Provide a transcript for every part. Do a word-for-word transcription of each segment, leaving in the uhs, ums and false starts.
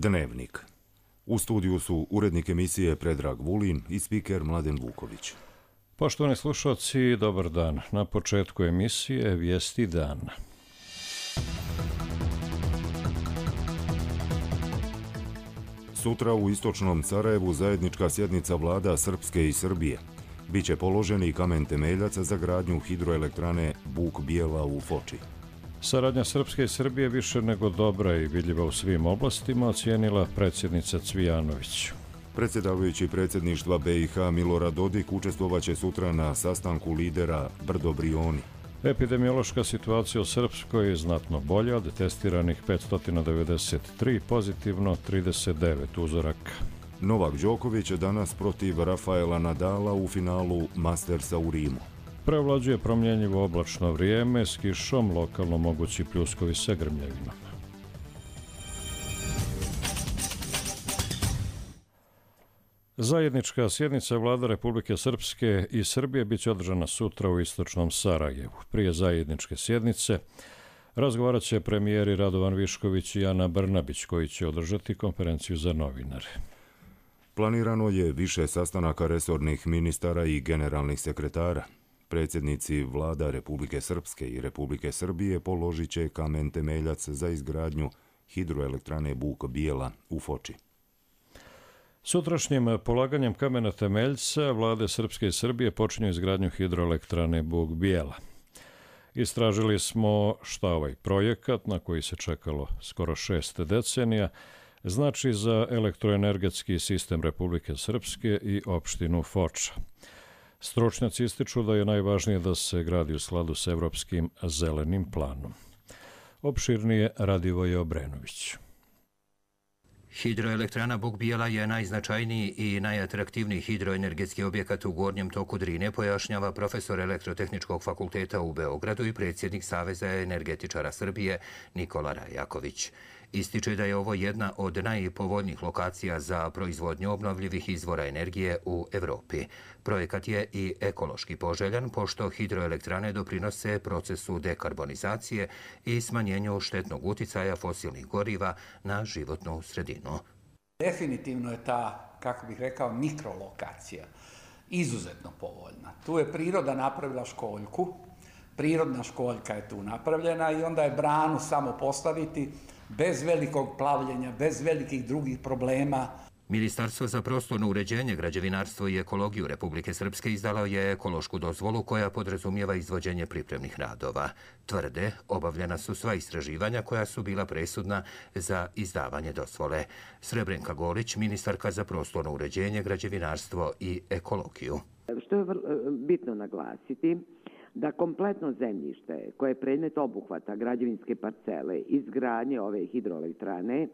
Dnevnik. U studiju su urednik emisije Predrag Vulin i spiker Mladen Vuković. Poštovani slušalci, dobar dan. Na početku emisije Vijesti dana. Sutra u istočnom Sarajevu zajednička sjednica vlada Srpske i Srbije. Biće položen i kamen temeljac za gradnju hidroelektrane Buk Bijela u Foči. Saradnja Srpske i Srbije više nego dobra i vidljiva u svim oblastima, ocijenila predsjednica Cvijanović. Predsjedavajući predsjedništva B i H Milorad Dodik učestvovaće sutra na sastanku lidera Brdo Brioni. Epidemiološka situacija u Srpskoj je znatno bolja, od testiranih petsto devedeset tri, pozitivno trideset devet uzoraka. Novak Đoković danas protiv Rafaela Nadala u finalu Mastersa u Rimu. Prevlađuje promjenjivo oblačno vrijeme s kišom, lokalno mogući pljuskovi sa grmljavinom. Zajednička sjednica vlada Republike Srpske i Srbije biće održana sutra u istočnom Sarajevu. Prije zajedničke sjednice razgovarat će premijeri Radovan Višković i Ana Brnabić, koji će održati konferenciju za novinare. Planirano je više sastanaka resornih ministara i generalnih sekretara. Predsjednici vlada Republike Srpske i Republike Srbije položit će kamen temeljac za izgradnju hidroelektrane Buk Bijela u Foči. Sutrašnjim polaganjem kamena temeljca vlade Srpske i Srbije počinju izgradnju hidroelektrane Buk Bijela. Istražili smo šta ovaj projekat, na koji se čekalo skoro šest decenija, znači za elektroenergetski sistem Republike Srpske i opštinu Foča. Stručnjaci ističu da je najvažnije da se gradi u skladu s evropskim zelenim planom. Opširnije Radivoje Obrenović. Hidroelektrana Buk Bijela je najznačajniji i najatraktivniji hidroenergetski objekat u gornjem toku Drine, pojašnjava profesor Elektrotehničkog fakulteta u Beogradu i predsjednik Saveza energetičara Srbije Nikola Rajaković. Ističe da je ovo jedna od najpovoljnijih lokacija za proizvodnju obnovljivih izvora energije u Evropi. Projekat je i ekološki poželjan, pošto hidroelektrane doprinose procesu dekarbonizacije i smanjenju štetnog uticaja fosilnih goriva na životnu sredinu. Definitivno je ta, kako bih rekao, mikrolokacija izuzetno povoljna. Tu je priroda napravila školjku, prirodna školjka je tu napravljena i onda je branu samo postaviti bez velikog plavljenja, bez velikih drugih problema. Ministarstvo za prostorno uređenje, građevinarstvo i ekologiju Republike Srpske izdalo je ekološku dozvolu koja podrazumijeva izvođenje pripremnih radova. Tvrde, obavljena su sva istraživanja koja su bila presudna za izdavanje dozvole. Srebrenka Golić, ministarka za prostorno uređenje, građevinarstvo i ekologiju. Što je bitno naglasiti, da kompletno zemljište koje je predmet obuhvata građevinske parcele izgradnje ove hidroelektrane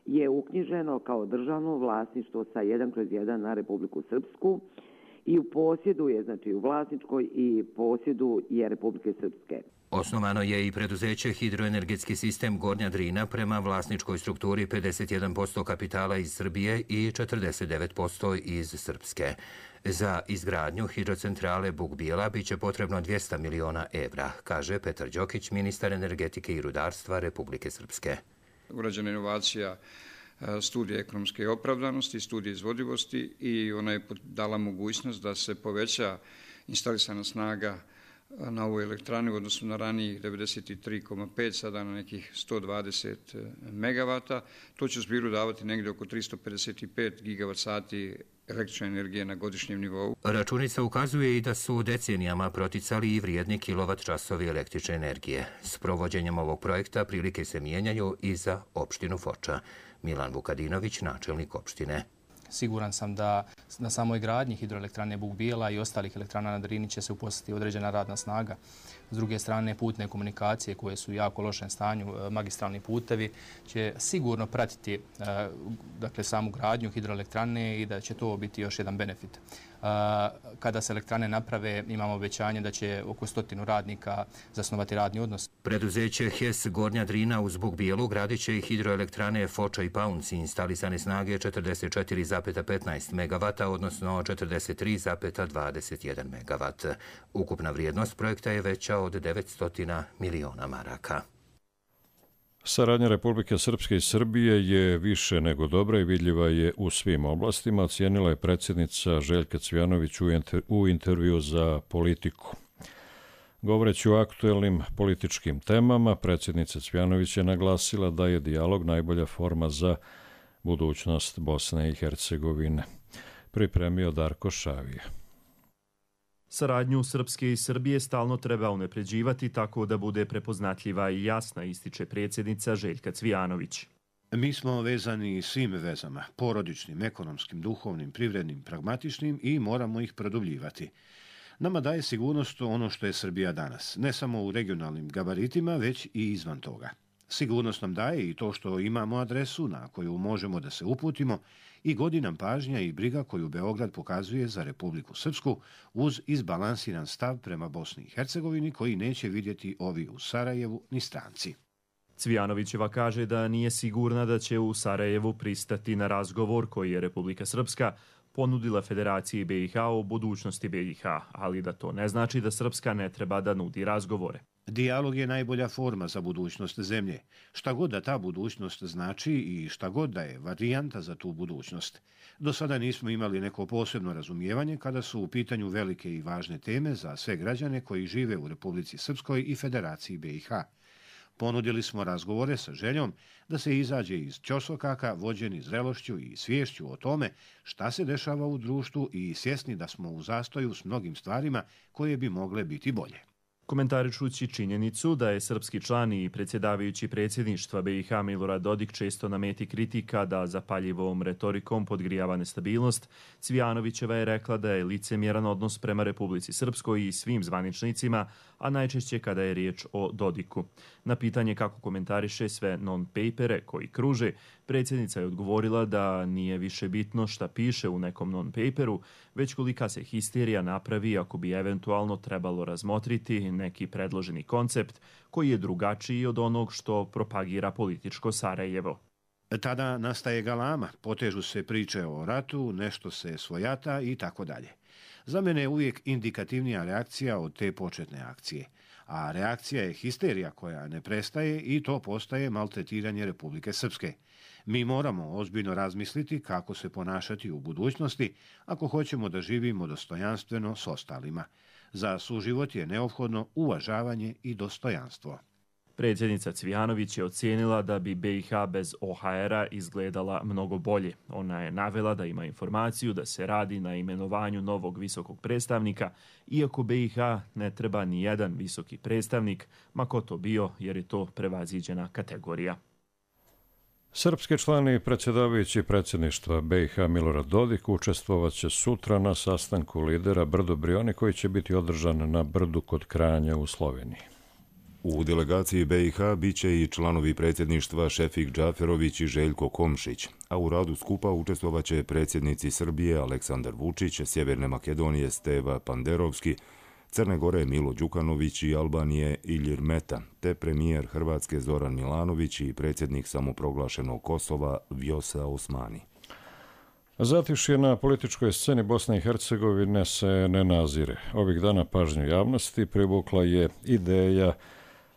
je uknjiženo kao državno vlasništvo sa jedan kroz jedan na Republiku Srpsku i u posjedu je, znači u vlasničkoj i posjedu je Republike Srpske. Osnovano je i preduzeće Hidroenergetski sistem Gornja Drina prema vlasničkoj strukturi pedeset jedan posto kapitala iz Srbije i četrdeset devet posto iz Srpske. Za izgradnju hidrocentrale Buk Bijela biće potrebno dvjesto miliona evra, kaže Petar Đokić, ministar energetike i rudarstva Republike Srpske. Urađena inovacija studije ekonomske opravdanosti, studije izvodivosti i ona je dala mogućnost da se poveća instalisana snaga na ovoj elektrani u odnosu na ranijih devedeset tri zarez pet, sada na nekih sto dvadeset megavata. To će u zbiru davati negdje oko tristo pedeset pet gigavat sati električne energije na godišnjem nivou. Računica ukazuje i da su decenijama proticali i vrijedni kilovat časovi električne energije. S provođenjem ovog projekta prilike se mijenjaju i za opštinu Foča. Milan Vukadinović, načelnik opštine. Siguran sam da na samoj gradnji hidroelektrane Buk Bijela i ostalih elektrana na Drini će se uposliti određena radna snaga. S druge strane, putne komunikacije koje su u jako lošem stanju, magistralni putevi, će sigurno pratiti dakle, samu gradnju hidroelektrane i da će to biti još jedan benefit. Kada se elektrane naprave, imamo obećanje da će oko stotinu radnika zasnovati radni odnos. Preduzeće H E S Gornja Drina uz Buk Bijelu gradit će i hidroelektrane Foča i Paunci, instalisane snage četrdeset četiri zarez petnaest megavata, odnosno četrdeset tri zarez dvadeset jedan megavat. Ukupna vrijednost projekta je veća od devetsto miliona maraka. Saradnja Republike Srpske i Srbije je više nego dobra i vidljiva je u svim oblastima, ocijenila je predsjednica Željka Cvijanović u, inter, u intervju za Politiku. Govoreći o aktuelnim političkim temama, predsjednica Cvijanović je naglasila da je dijalog najbolja forma za budućnost Bosne i Hercegovine. Pripremio Darko Šavija. Saradnju Srpske i Srbije stalno treba unapređivati tako da bude prepoznatljiva i jasna, ističe predsjednica Željka Cvijanović. Mi smo vezani svim vezama, porodičnim, ekonomskim, duhovnim, privrednim, pragmatičnim i moramo ih produbljivati. Nama daje sigurnost ono što je Srbija danas, ne samo u regionalnim gabaritima, već i izvan toga. Sigurnost nam daje i to što imamo adresu na koju možemo da se uputimo i godi nam pažnja i briga koju Beograd pokazuje za Republiku Srpsku uz izbalansiran stav prema Bosni i Hercegovini koji neće vidjeti ovi u Sarajevu ni stranci. Cvijanovićeva kaže da nije sigurna da će u Sarajevu pristati na razgovor koji je Republika Srpska ponudila Federaciji B i H o budućnosti B i H, ali da to ne znači da Srpska ne treba da nudi razgovore. Dijalog je najbolja forma za budućnost zemlje. Šta god da ta budućnost znači i šta god da je varijanta za tu budućnost. Do sada nismo imali neko posebno razumijevanje kada su u pitanju velike i važne teme za sve građane koji žive u Republici Srpskoj i Federaciji B i H. Ponudili smo razgovore sa željom da se izađe iz ćorsokaka vođeni zrelošću i sviješću o tome šta se dešava u društvu i svjesni da smo u zastoju s mnogim stvarima koje bi mogle biti bolje. Komentarišući činjenicu da je srpski član i predsjedavajući predsjedništva B i H Milorad Dodik često na meti kritika da zapaljivom retorikom podgrijava nestabilnost, Cvijanovićeva je rekla da je licemjeran odnos prema Republici Srpskoj i svim zvaničnicima, a najčešće kada je riječ o Dodiku. Na pitanje kako komentariše sve non-papere koji kruže, predsjednica je odgovorila da nije više bitno šta piše u nekom non-paperu, već kolika se histerija napravi ako bi eventualno trebalo razmotriti neki predloženi koncept koji je drugačiji od onog što propagira političko Sarajevo. Tada nastaje galama, potežu se priče o ratu, nešto se svojata i tako dalje. Za mene je uvijek indikativnija reakcija od te početne akcije. A reakcija je histerija koja ne prestaje i to postaje maltretiranje Republike Srpske. Mi moramo ozbiljno razmisliti kako se ponašati u budućnosti ako hoćemo da živimo dostojanstveno s ostalima. Za suživot je neophodno uvažavanje i dostojanstvo. Predsjednica Cvijanović je ocijenila da bi B i H bez O H R-a izgledala mnogo bolje. Ona je navela da ima informaciju da se radi na imenovanju novog visokog predstavnika, iako B i H ne treba ni jedan visoki predstavnik, ma ko to bio, jer je to prevaziđena kategorija. Srpski član i predsjedavajući predsjedništva B i H Milorad Dodik učestvovat će sutra na sastanku lidera Brdo Brioni koji će biti održan na Brdu kod Kranja u Sloveniji. U delegaciji B i H bit će i članovi predsjedništva Šefik Džaferović i Željko Komšić, a u radu skupa učestvovat će predsjednici Srbije Aleksandar Vučić, Sjeverne Makedonije Steva Panderovski, Crne Gore Milo Đukanović i Albanije Ilir Meta, te premijer Hrvatske Zoran Milanović i predsjednik samoproglašenog Kosova Vjosa Osmani. Zatišje na političkoj sceni Bosne i Hercegovine se ne nazire. Ovih dana pažnju javnosti privukla je ideja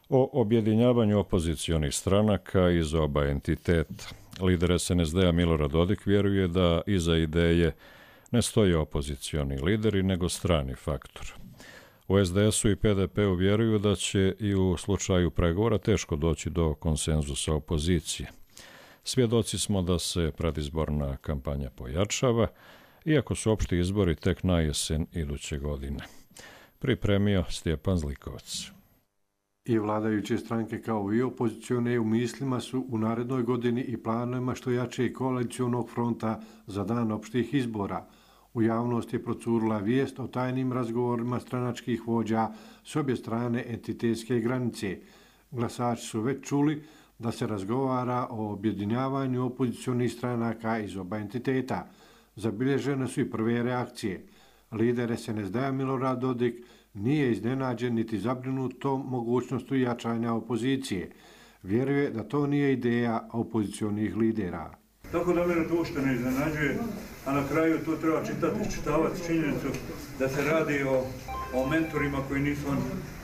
o objedinjavanju opozicionih stranaka iz oba entiteta. Lider S N S D-a Milorad Dodik vjeruje da iza ideje ne stoje opozicioni lideri, nego strani faktor. U S D S-u i P D P-u vjeruju da će i u slučaju pregovora teško doći do konsenzusa opozicije. Svjedoci smo da se predizborna kampanja pojačava, iako su opšti izbori tek na jesen iduće godine. Pripremio Stjepan Zlikovac. I vladajuće stranke kao i opozicione u mislima su u narednoj godini i planovima što jače koalicionog fronta za dan opštih izbora. U javnosti je procurila vijest o tajnim razgovorima stranačkih vođa s obje strane entitetske granice. Glasači su već čuli da se razgovara o objedinjavanju opozicionih stranaka iz oba entiteta. Zabilježene su i prve reakcije. Lider S N S D-a Milorad Dodik nije iznenađen niti zabrinut tom mogućnostu jačanja opozicije. Vjeruje da to nije ideja opozicionih lidera. Tako da mene to ušte ne iznenađuje, a na kraju to treba čitati, čitavati činjenicu da se radi o o mentorima koji nisu on,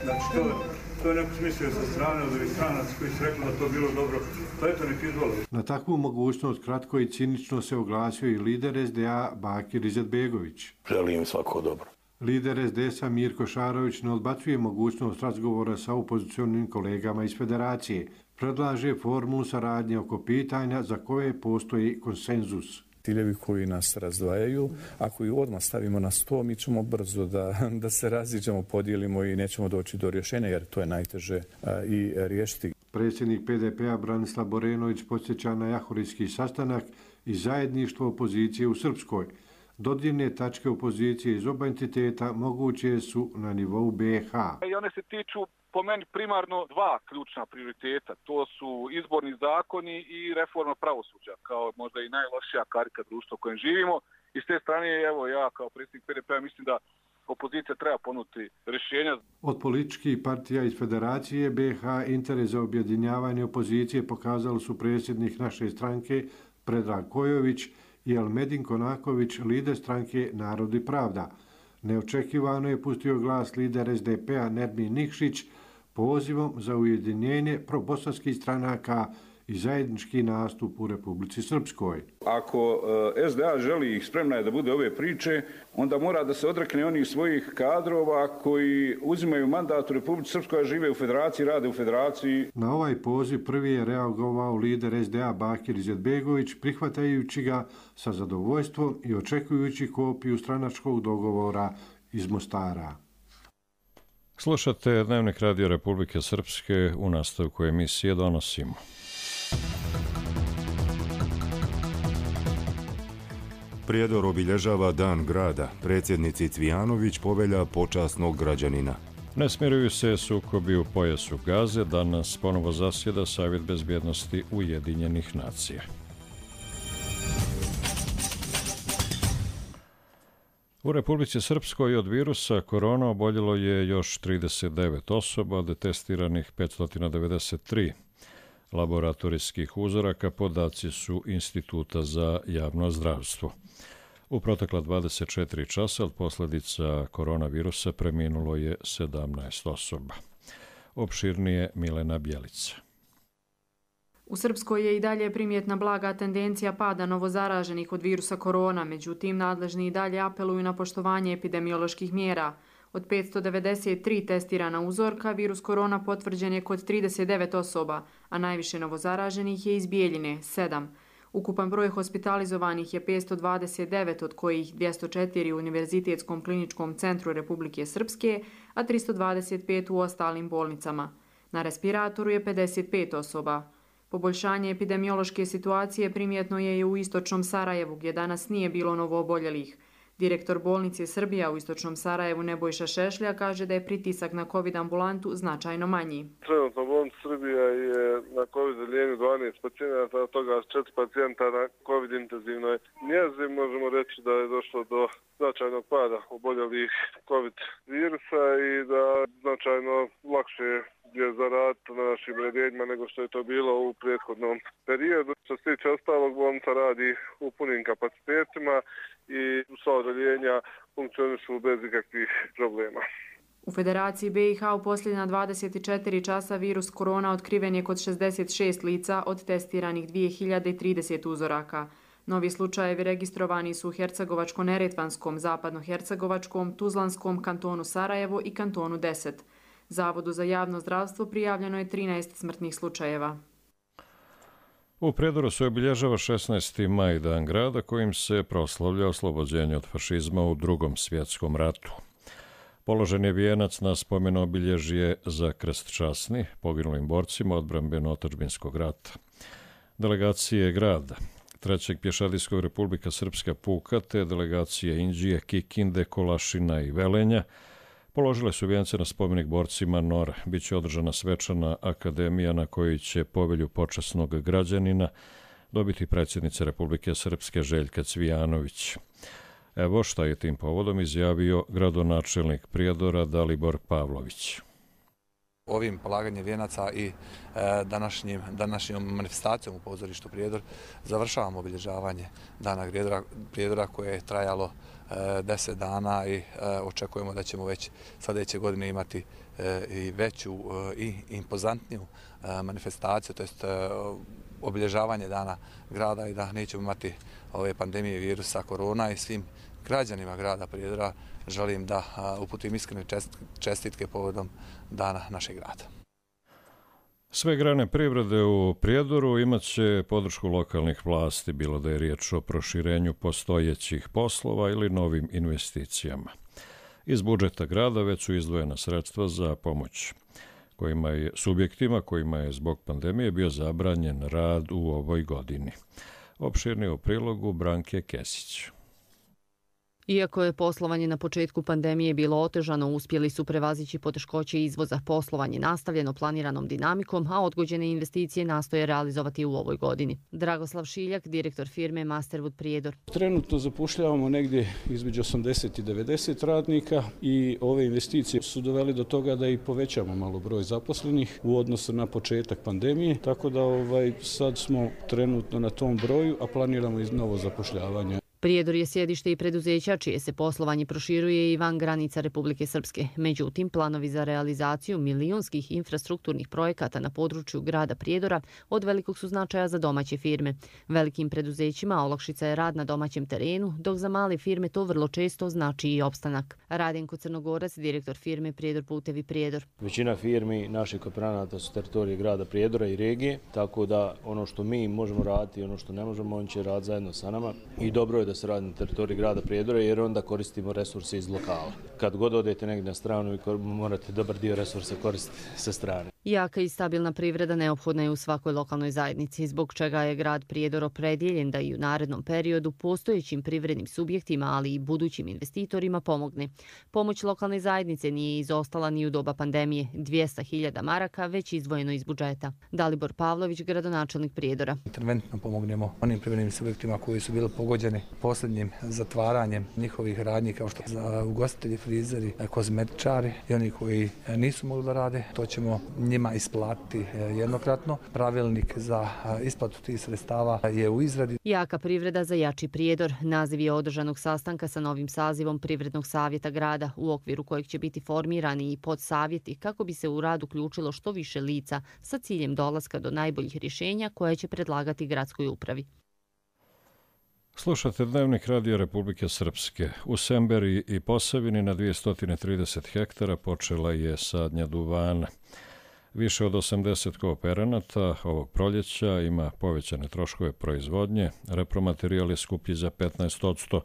znači to, to je neko smislio sa strane od ovih stranaca koji su rekli da to bilo dobro, to eto nek izvoli. Na takvu mogućnost kratko i cinično se oglasio i lider es de a Bakir Izetbegović. Želim svako dobro. Lider es de es-a Mirko Šarović ne odbacuje mogućnost razgovora sa opozicionim kolegama iz federacije. Predlaže formulu saradnje oko pitanja za koje postoji konsenzus. Ciljevi koji nas razdvajaju, ako ih odmah stavimo na sto, mi ćemo brzo da, da se raziđemo, podijelimo i nećemo doći do rješenja, jer to je najteže a, i riješiti. Predsjednik pe de pe-a Branislav Borenović podsjeća na jahorijski sastanak i zajedništvo opozicije u Srpskoj. Dodirne tačke opozicije iz oba entiteta moguće su na nivou be ha. I one se tiču po meni primarno dva ključna prioriteta. To su izborni zakoni i reforma pravosuđa, kao možda i najlošija karika društva u kojem živimo. I s te strane, evo ja kao predsjednik pe de pe-a mislim da opozicija treba ponuditi rješenja. Od političkih partija iz Federacije be ha interes za objedinjavanje opozicije pokazali su predsjednik naše stranke Predrag Kojović i Elmedin Konaković, lider stranke Narod i pravda. Neočekivano je pustio glas lider es de pe-a Nermin Nikšić pozivom za ujedinjenje probosanskih stranaka i zajednički nastup u Republici Srpskoj. Ako es de a želi ih spremna je da bude ove priče, onda mora da se odrekne onih svojih kadrova koji uzimaju mandat u Republici Srpskoj, a žive u federaciji, rade u federaciji. Na ovaj poziv prvi je reagovao lider es de a Bakir Izetbegović, prihvatajući ga sa zadovoljstvom i očekujući kopiju stranačkog dogovora iz Mostara. Slušate Dnevnik Radio Republike Srpske, u nastavku emisije donosimo. Prijedor obilježava Dan grada. Predsjednici Cvijanović povelja počasnog građanina. Ne smiruju se sukobi u pojasu Gaze. Danas ponovo zasjeda Savjet bezbjednosti Ujedinjenih nacija. U Republici Srpskoj od virusa korona oboljelo je još trideset devet osoba, od testiranih petsto devedeset tri. Laboratorijskih uzoraka podaci su Instituta za javno zdravstvo. U protekla dvadeset četiri časa od posljedica koronavirusa preminulo je sedamnaest osoba. Opširnije Milena Bjelica. U Srpskoj je i dalje primjetna blaga tendencija pada novozaraženih od virusa korona, međutim nadležni i dalje apeluju na poštovanje epidemioloških mjera. Od petsto devedeset tri testirana uzorka, virus korona potvrđen je kod trideset devet osoba, a najviše novozaraženih je iz Bijeljine, sedam. Ukupan broj hospitalizovanih je petsto dvadeset devet, od kojih dvjesto četiri u Univerzitetskom kliničkom centru Republike Srpske, a tristo dvadeset pet u ostalim bolnicama. Na respiratoru je pedeset pet osoba. Poboljšanje epidemiološke situacije primjetno je i u istočnom Sarajevu, gdje danas nije bilo novooboljelih. Direktor bolnice Srbija u istočnom Sarajevu Nebojša Šešlja kaže da je pritisak na COVID ambulantu značajno manji. Trenutno bolnica Srbija je na COVID odjeljenju dvanaest pacijenata, od toga četiri pacijenta na COVID intenzivnoj njezi. Možemo reći da je došlo do značajnog pada oboljelih COVID virusa i da značajno lakše je zaraditi na našim redenjima nego što je to bilo u prethodnom periodu. Što se tiče ostalog, bolnica radi u punim kapacitetima i sva odjeljenja funkcionišu bez ikakvih problema. U Federaciji be i ha u posljednja dvadeset četiri časa virus korona otkriven je kod šezdeset šest lica od testiranih dvije hiljade trideset uzoraka. Novi slučajevi registrovani su u Hercegovačko-Neretvanskom, Zapadno-Hercegovačkom, Tuzlanskom, kantonu Sarajevo i kantonu deset. Zavodu za javno zdravstvo prijavljeno je trinaest smrtnih slučajeva. U Prijedoru se obilježava šesnaesti maj, Dan grada, kojim se proslavlja oslobođenje od fašizma u Drugom svjetskom ratu. Položen je vijenac na spomen obilježje za krst časni poginulim borcima odbrambeno-otadžbinskog rata. Delegacije grada, Trećeg pješadijskog Republika Srpska puka te delegacije Inđije, Kikinde, Kolašina i Velenja položile su vijence na spomenik borcima N O R. Biće održana svečana akademija na kojoj će povelju počasnog građanina dobiti predsjednica Republike Srpske Željka Cvijanović. Evo šta je tim povodom izjavio gradonačelnik Prijedora Dalibor Pavlović. ovim polaganjem vijenaca i današnjim, današnjom manifestacijom u pozorištu Prijedor završavamo obilježavanje Dana Prijedora koje je trajalo deset dana i očekujemo da ćemo već sljedeće godine imati i veću i impozantniju manifestaciju, to jest obilježavanje Dana grada i da nećemo imati ove pandemije virusa korona i svim građanima grada Prijedora želim da uputim iskrene čestitke povodom Dana našeg grada. Sve grane privrede u Prijedoru imat će podršku lokalnih vlasti, bilo da je riječ o proširenju postojećih poslova ili novim investicijama. Iz budžeta grada već su izdvojena sredstva za pomoć kojima je, subjektima kojima je zbog pandemije bio zabranjen rad u ovoj godini. Opširnije u prilogu Branke Kesić. Iako je poslovanje na početku pandemije bilo otežano, uspjeli su prevazići poteškoće izvoza. Poslovanje nastavljeno planiranom dinamikom, a odgođene investicije nastoje realizovati u ovoj godini. Dragoslav Šiljak, direktor firme Masterwood Prijedor. Trenutno zapošljavamo negdje između osamdeset i devedeset radnika i ove investicije su doveli do toga da i povećamo malo broj zaposlenih u odnosu na početak pandemije, tako da ovaj, sad smo trenutno na tom broju, a planiramo i novo zapošljavanje. Prijedor je sjedište i preduzeća čije se poslovanje proširuje i van granica Republike Srpske. Međutim, planovi za realizaciju milionskih infrastrukturnih projekata na području grada Prijedora od velikog su značaja za domaće firme. Velikim preduzećima olakšica je rad na domaćem terenu, dok za male firme to vrlo često znači i opstanak. Radenko Crnogorac, direktor firme Prijedor putevi Prijedor. Većina firmi naših kooperanata su teritorije grada Prijedora i regije, tako da ono što mi možemo raditi i ono što ne možemo, on će raditi zajedno sa nama. I dobro je da se radi na teritoriji grada Prijedora jer onda koristimo resurse iz lokala. Kad god odete negdje na stranu, morate dobar dio resursa koristiti sa strane. Jaka i stabilna privreda neophodna je u svakoj lokalnoj zajednici, zbog čega je grad Prijedor opredjeljen da i u narednom periodu postojećim privrednim subjektima, ali i budućim investitorima pomogne. Pomoć lokalne zajednice nije izostala ni u doba pandemije, dvjesto hiljada maraka već izdvojeno iz budžeta. Dalibor Pavlović, gradonačelnik Prijedora. Interventno pomognemo onim privrednim subjektima koji su bili pogođeni posljednjim zatvaranjem njihovih radnji kao što za ugostitelji, frizeri, kozmetičari i oni koji nisu mogli da rade. To ćemo njima isplatiti jednokratno. Pravilnik za isplatu tih sredstava je u izradi. Jaka privreda za jači Prijedor. Naziv je održanog sastanka sa novim sazivom Privrednog savjeta grada, u okviru kojeg će biti formirani i podsavjeti kako bi se u rad uključilo što više lica sa ciljem dolaska do najboljih rješenja koje će predlagati gradskoj upravi. Slušate Dnevnik Radija Republike Srpske. U Semberi i Posavini na dvjesto trideset hektara počela je sadnja duvana. Više od osamdeset kooperanata ovog proljeća ima povećane troškove proizvodnje, repromaterijal je skuplji za petnaest posto,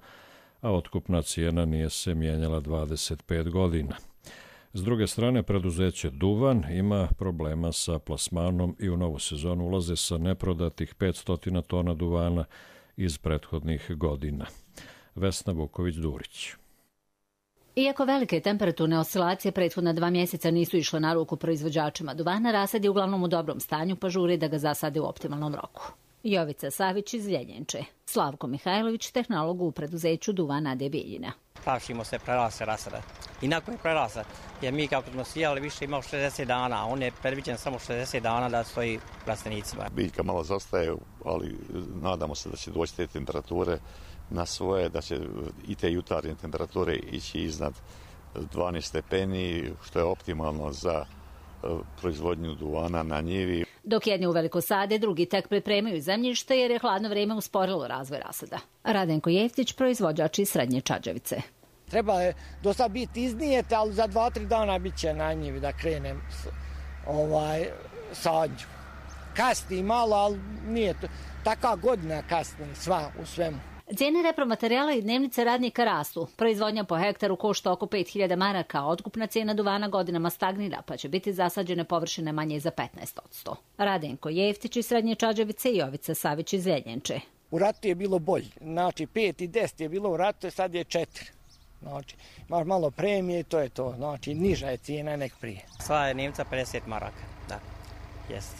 a otkupna cijena nije se mijenjala dvadeset pet godina. S druge strane, preduzeće Duvan ima problema sa plasmanom i u novu sezonu ulaze sa neprodatih petsto tona duvana iz prethodnih godina. Vesna Vuković-Durić. Iako velike temperaturne oscilacije prethodna dva mjeseca nisu išle na ruku proizvođačima duvana, rasad je uglavnom u dobrom stanju, pa žure da ga zasade u optimalnom roku. Jovica Savić iz Ljeljenče, Slavko Mihajlović, tehnolog u preduzeću Duvan A D Bijeljina. Plašimo se prerase rasada. Inako je prerasa, jer mi kako smo sijali više imao šezdeset dana, a on je predviđen samo šezdeset dana da stoji plastenicima. Biljka malo zastaje, ali nadamo se da će doći te temperature na svoje, da će i te jutarnje temperature ići iznad dvanaest stepeni, što je optimalno za proizvodnju duvana na njivi. Dok jedni uveliko sade, drugi tek pripremaju zemljište jer je hladno vrijeme usporilo razvoj rasada. Radenko Jeftić, proizvođač iz Srednje Čađavice. Treba je do sad biti iznijete, ali za dva, tri dana bit će na njivi da krenem ovaj, sadnju. Kasni malo, ali nije to. Taka godina kasni sva u svemu. Cijene repromaterijala i dnevnice radnika rastu. Proizvodnja po hektaru košta oko pet hiljada maraka, a otkupna cijena duvana godinama stagnira, pa će biti zasađene površine manje za petnaest posto. Radenko Jeftić iz Srednje Čađavice i Jovica Savić iz Ljeljenče. U ratu je bilo bolje. Znači pet i deset je bilo u ratu, sad je četiri. Znači, imaš malo premije i to je to. Znači, niža je cijena nek prije. Sva je Nemca pedeset maraka, da, jest.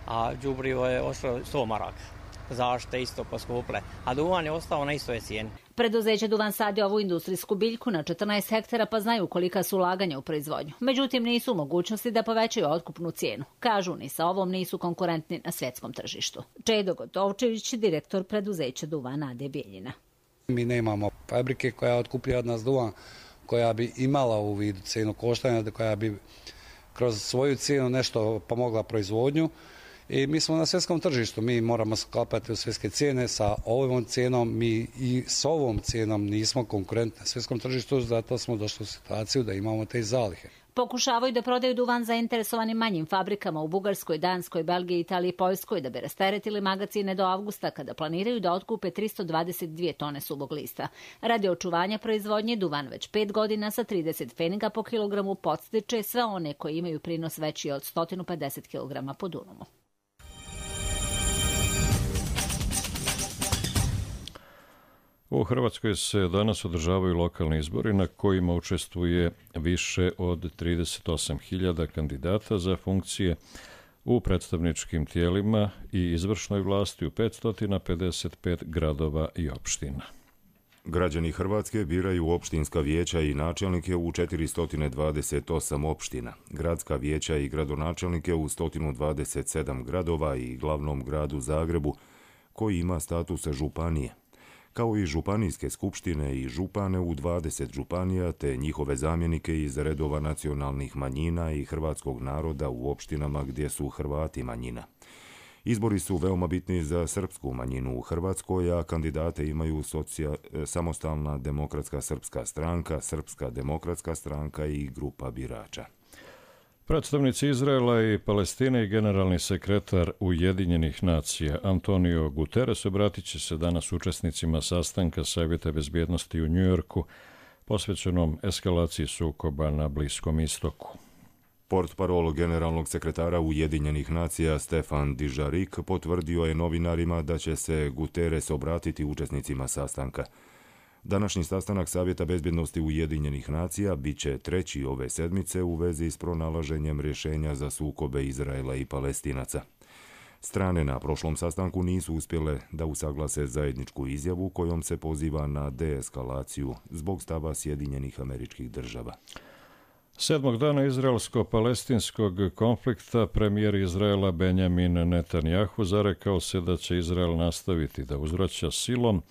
A đubrivo je ostalo sto maraka. Zašto isto poskuple, a duvan je ostao na istoj cijeni. Preduzeće Duvan sadi ovu industrijsku biljku na četrnaest hektara pa znaju kolika su ulaganja u proizvodnju. Međutim, nisu u mogućnosti da povećaju otkupnu cijenu. Kažu, ni sa ovom nisu konkurentni na svjetskom tržištu. Čedo Gotovčević, direktor preduzeća Duvan A D Bijeljina. Mi nemamo fabrike koja otkupljuje od nas duvan, koja bi imala u vidu cijenu koštanja, koja bi kroz svoju cijenu nešto pomogla proizvodnju. I mi smo na svjetskom tržištu, mi moramo sklapati u svjetske cijene, sa ovom cijenom mi i s ovom cijenom nismo konkurentni na svjetskom tržištu, zato smo došli u situaciju da imamo te zalihe. Pokušavaju da prodaju duvan zainteresovanim manjim fabrikama u Bugarskoj, Danskoj, Belgiji, Italiji i Poljskoj da bi rasteretili magacine do avgusta kada planiraju da otkupe tristo dvadeset dvije tone suvog lista. Radi očuvanja proizvodnje duvan već pet godina sa trideset pfeniga po kilogramu podstiče sve one koji imaju prinos veći od sto pedeset kilograma po dunumu. U Hrvatskoj se danas održavaju lokalni izbori na kojima učestvuje više od trideset osam hiljada kandidata za funkcije u predstavničkim tijelima i izvršnoj vlasti u petsto pedeset pet gradova i opština. Građani Hrvatske biraju opštinska vijeća i načelnike u četiristo dvadeset osam opština, gradska vijeća i gradonačelnike u sto dvadeset sedam gradova i glavnom gradu Zagrebu, koji ima status županije, kao i županijske skupštine i župane u dvadeset županija te njihove zamjenike iz redova nacionalnih manjina i hrvatskog naroda u opštinama gdje su Hrvati manjina. Izbori su veoma bitni za srpsku manjinu u Hrvatskoj, a kandidate imaju socija, Samostalna demokratska srpska stranka, Srpska demokratska stranka i grupa birača. Predstavnici Izraela i Palestine i generalni sekretar Ujedinjenih nacija Antonio Guterres obratit će se danas učesnicima sastanka Savjeta bezbjednosti u Njujorku posvećenom eskalaciji sukoba na Bliskom istoku. Portparol generalnog sekretara Ujedinjenih nacija Stefan Dujarric potvrdio je novinarima da će se Guterres obratiti učesnicima sastanka. Današnji sastanak Savjeta bezbjednosti Ujedinjenih nacija bit će treći ove sedmice u vezi s pronalaženjem rješenja za sukobe Izraela i Palestinaca. Strane na prošlom sastanku nisu uspjele da usaglase zajedničku izjavu kojom se poziva na deeskalaciju zbog stava Sjedinjenih Američkih Država. Sedmog dana izraelsko-palestinskog konflikta premijer Izraela Benjamin Netanjahu zarekao se da će Izrael nastaviti da uzvraća silom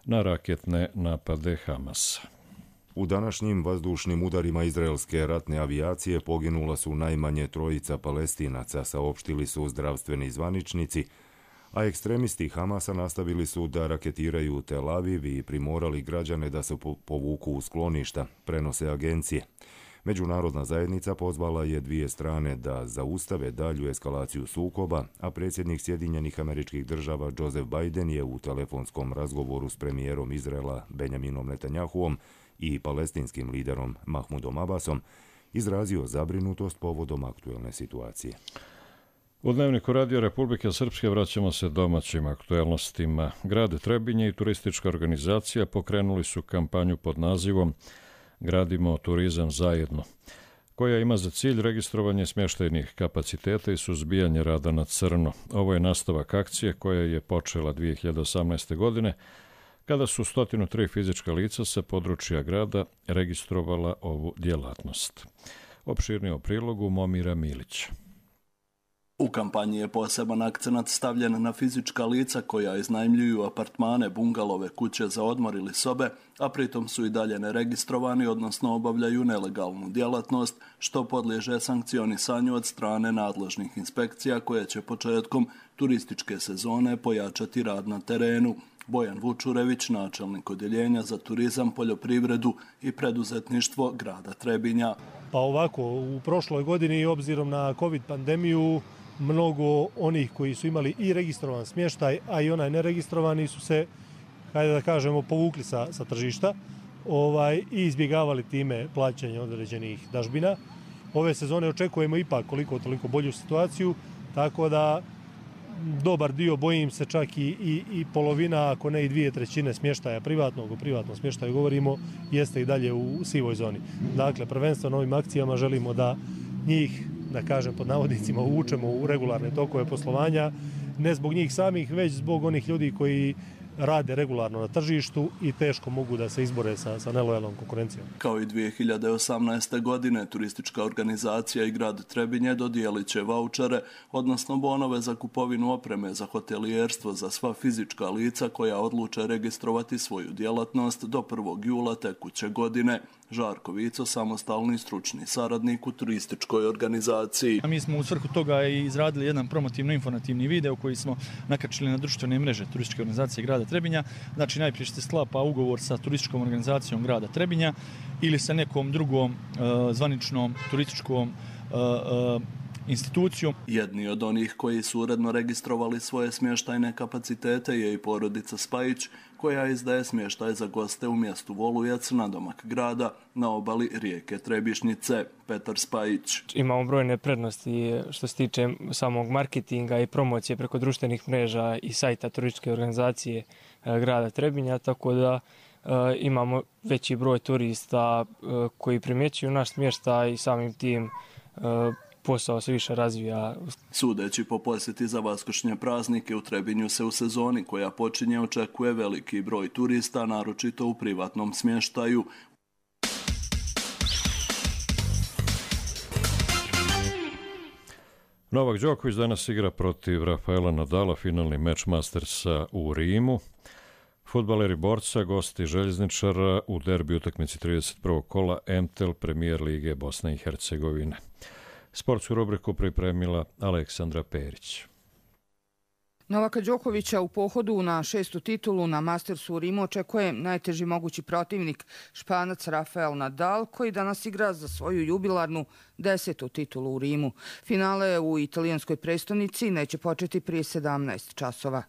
na raketne napade Hamasa. U današnjim vazdušnim udarima izraelske ratne avijacije poginula su najmanje trojica Palestinaca, saopštili su zdravstveni zvaničnici, a ekstremisti Hamasa nastavili su da raketiraju Tel Aviv i primorali građane da se povuku u skloništa, prenose agencije. Međunarodna zajednica pozvala je dvije strane da zaustave dalju eskalaciju sukoba, a predsjednik Sjedinjenih Američkih Država Joseph Biden je u telefonskom razgovoru s premijerom Izraela Benjaminom Netanjahuom i palestinskim liderom Mahmudom Abbasom izrazio zabrinutost povodom aktuelne situacije. U Dnevniku Radio Republike Srpske vraćamo se domaćim aktuelnostima. Grad Trebinje i turistička organizacija pokrenuli su kampanju pod nazivom Gradimo turizam zajedno, koja ima za cilj registrovanje smještajnih kapaciteta i suzbijanje rada na crno. Ovo je nastavak akcije koja je počela dvije hiljade osamnaeste. godine, kada su sto tri fizička lica sa područja grada registrovala ovu djelatnost. Opširnije o prilogu Momira Milića. U kampanji je poseban akcenat stavljen na fizička lica koja iznajmljuju apartmane, bungalove, kuće za odmor ili sobe, a pritom su i dalje neregistrovani, odnosno obavljaju nelegalnu djelatnost, što podliježe sankcionisanju od strane nadležnih inspekcija koje će početkom turističke sezone pojačati rad na terenu. Bojan Vučurević, načelnik odjeljenja za turizam, poljoprivredu i preduzetništvo grada Trebinja. Pa ovako, u prošloj godini, obzirom na COVID pandemiju, mnogo onih koji su imali i registrovan smještaj, a i onaj neregistrovani su se, hajde da kažemo, povukli sa, sa tržišta ovaj, i izbjegavali time plaćanje određenih dažbina. Ove sezone očekujemo ipak koliko toliko bolju situaciju, tako da dobar dio, bojim se čak i, i, i polovina, ako ne i dvije trećine smještaja privatnog, o privatnom smještaju govorimo, jeste i dalje u sivoj zoni. Dakle, prvenstveno ovim akcijama želimo da njih, da kažem pod navodnicima, uvučemo u regularne tokove poslovanja, ne zbog njih samih, već zbog onih ljudi koji rade regularno na tržištu i teško mogu da se izbore sa, sa nelojalnom konkurencijom. Kao i dvije hiljade osamnaeste. godine, turistička organizacija i grad Trebinje dodijelit će vaučere, odnosno bonove za kupovinu opreme za hotelijerstvo za sva fizička lica koja odluče registrovati svoju djelatnost do prvog jula tekuće godine. Žarko Vico, samostalni stručni saradnik u turističkoj organizaciji. A mi smo u svrhu toga i izradili jedan promotivno-informativni video koji smo nakačili na društvene mreže turističke organizacije grada Trebinja. Znači najprije se sklapa ugovor sa turističkom organizacijom grada Trebinja ili sa nekom drugom uh, zvaničnom turističkom uh, uh, institucijom. Jedni od onih koji su uredno registrovali svoje smještajne kapacitete je i porodica Spajić, koja izdaje smještaj za goste u mjestu Volujac na domak grada na obali rijeke Trebišnjice. Petar Spajić. Imamo brojne prednosti što se tiče samog marketinga i promocije preko društvenih mreža i sajta turističke organizacije grada Trebinja, tako da e, imamo veći broj turista e, koji primjećuju naš smještaj i samim tim e, posao se više razvija. Sudeći po posjeti za vaskršnje praznike u Trebinju se u sezoni koja počinje očekuje veliki broj turista, naročito u privatnom smještaju. Novak Đoković danas igra protiv Rafaela Nadala, finalni meč Mastersa u Rimu. Fudbaleri Borca, gosti Željezničara u derbi utakmici trideset prvog kola M T L Premijer Lige Bosne i Hercegovine. Sportsku rubriku pripremila Aleksandra Perić. Novaka Đokovića u pohodu na šestu titulu na Mastersu u Rimu očekuje najteži mogući protivnik, Španac Rafael Nadal, koji danas igra za svoju jubilarnu desetu titulu u Rimu. Finale u italijanskoj prestonici neće početi prije sedamnaest časova.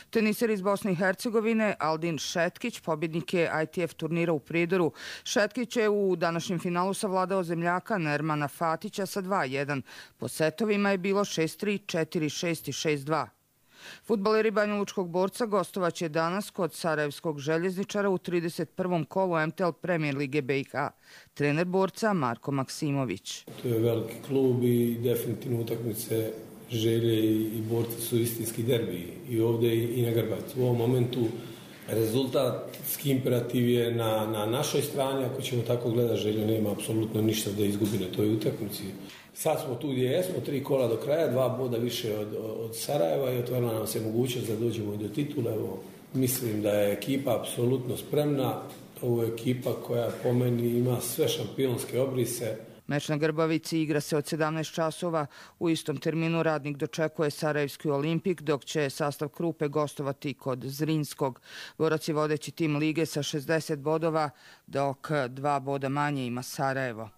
Teniser iz Bosne i Hercegovine Aldin Šetkić pobjednik je I T F turnira u Prijedoru. Šetkić je u današnjem finalu savladao zemljaka Nermana Fatića sa dva jedan. Po setovima je bilo šest tri, četiri šest i šest dva. Fudbaleri Banjalučkog Borca gostovaće danas kod Sarajevskog Željezničara u trideset prvom kolu M T L Premijer Lige B i H. Trener Borca Marko Maksimović. To je veliki klub i definitivno utakmice Želje i Borci su istinski derbi i ovdje i na Grbavici. U ovom momentu rezultatski imperativ je na, na našoj strani. Ako ćemo tako gledati, Želje nema apsolutno ništa da izgubi na toj utakmici. Sad smo tu gdje jesmo, tri kola do kraja, dva boda više od, od Sarajeva i otvorila nam se mogućnost da dođemo do titula. Evo, mislim da je ekipa apsolutno spremna. Ovo je ekipa koja po meni ima sve šampionske obrise. Meč na Grbavici igra se od sedamnaest časova. U istom terminu Radnik dočekuje Sarajevski Olimpik, dok će sastav Krupe gostovati kod Zrinskog. Borac je vodeći tim lige sa šezdeset bodova, dok dva boda manje ima Sarajevo.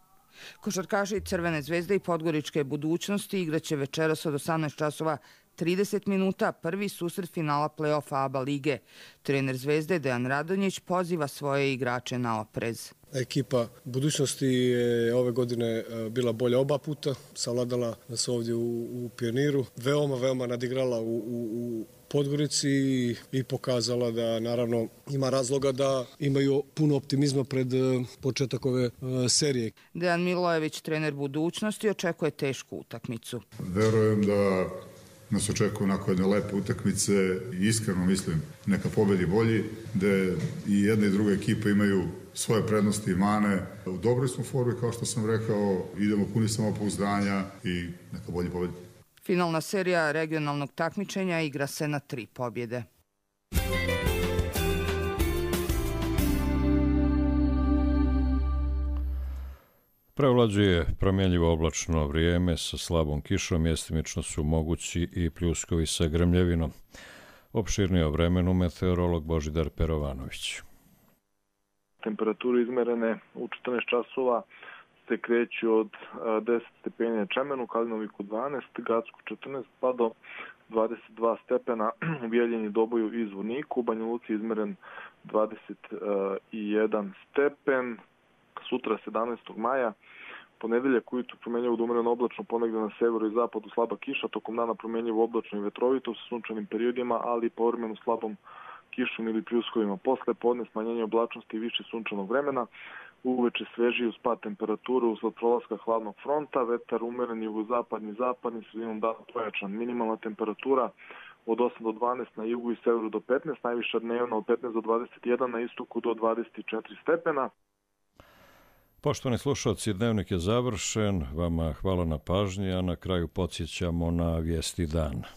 Košarkaši Crvene zvezde i Podgoričke budućnosti igraće večeras od osamnaest časova trideset minuta prvi susret finala play-offa A B A lige. Trener Zvezde Dejan Radonjić poziva svoje igrače na oprez. Ekipa budućnosti je ove godine bila bolja oba puta, savladala nas ovdje u, u Pioniru. Veoma, veoma nadigrala u, u, u Podgorici i pokazala da naravno ima razloga da imaju puno optimizma pred početak ove serije. Dejan Milojević, trener budućnosti, očekuje tešku utakmicu. Verujem da nas očekuju onako jedne lepe utakmice i iskreno mislim neka pobedi bolji, gde i jedna i druga ekipa imaju svoje prednosti i mane. U dobroj smo formi, kao što sam rekao, idemo puni samopouzdanja i neka bolji pobedi. Finalna serija regionalnog takmičenja igra se na tri pobjede. Prevlađuje promjenljivo oblačno vrijeme sa slabom kišom, mjestimično su mogući i pljuskovi sa grmljevinom. Opširnije o vremenu meteorolog Božidar Perovanović. Temperature izmerene u četrnaest časova se kreću od deset stepeni Čemenu, Kalinoviku dvanaest, Gacku četrnaest pa do dvadeset dva stepena u Bijeljini, Doboju i Zvoniku. U Banja Luci izmeren dvadeset jedan stepen. Sutra sedamnaestog maja, ponedeljak ujutru promjenjivo do umjereno oblačno, ponegdje na severu i zapadu slaba kiša, tokom dana promjenjivo oblačno i vetrovito sa sunčanim periodima, ali i povremeno slabom kišom ili pljuskovima. Posle podne smanjenje oblačnosti i više sunčanog vremena, uveče svežiji uz pad temperature usled prolaska hladnog fronta, vetar umeren jugozapadni zapadni, sredinom dana pojačan. Minimalna temperatura od osam do dvanaest, na jugu i severu do petnaest, najviša dnevna od petnaest do dvadeset jedan, na istoku do dvadeset četiri stepena. Poštovani slušalci, dnevnik je završen, vama hvala na pažnji, a na kraju podsjećamo na vijesti dana.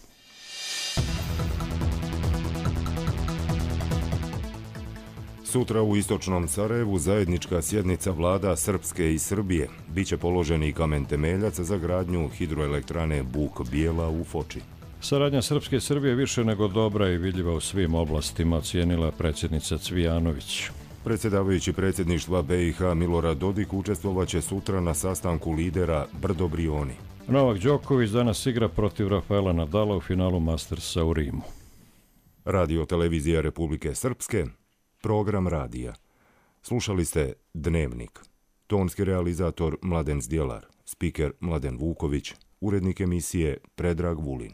Sutra u istočnom Sarajevu zajednička sjednica vlada Srpske i Srbije. Biće položen i kamen temeljac za gradnju hidroelektrane Buk Bijela u Foči. Saradnja Srpske i Srbije više nego dobra i vidljiva u svim oblastima, ocijenila predsjednica Cvijanović. Predsjedavajući predsjedništva B i H Milorad Dodik učestvovaće sutra na sastanku lidera Brdo Brioni. Novak Đoković danas igra protiv Rafaela Nadala u finalu Mastersa u Rimu. Radio televizija Republike Srpske, program radija. Slušali ste Dnevnik. Tonski realizator Mladen Zdjelar, spiker Mladen Vuković, urednik emisije Predrag Vulin.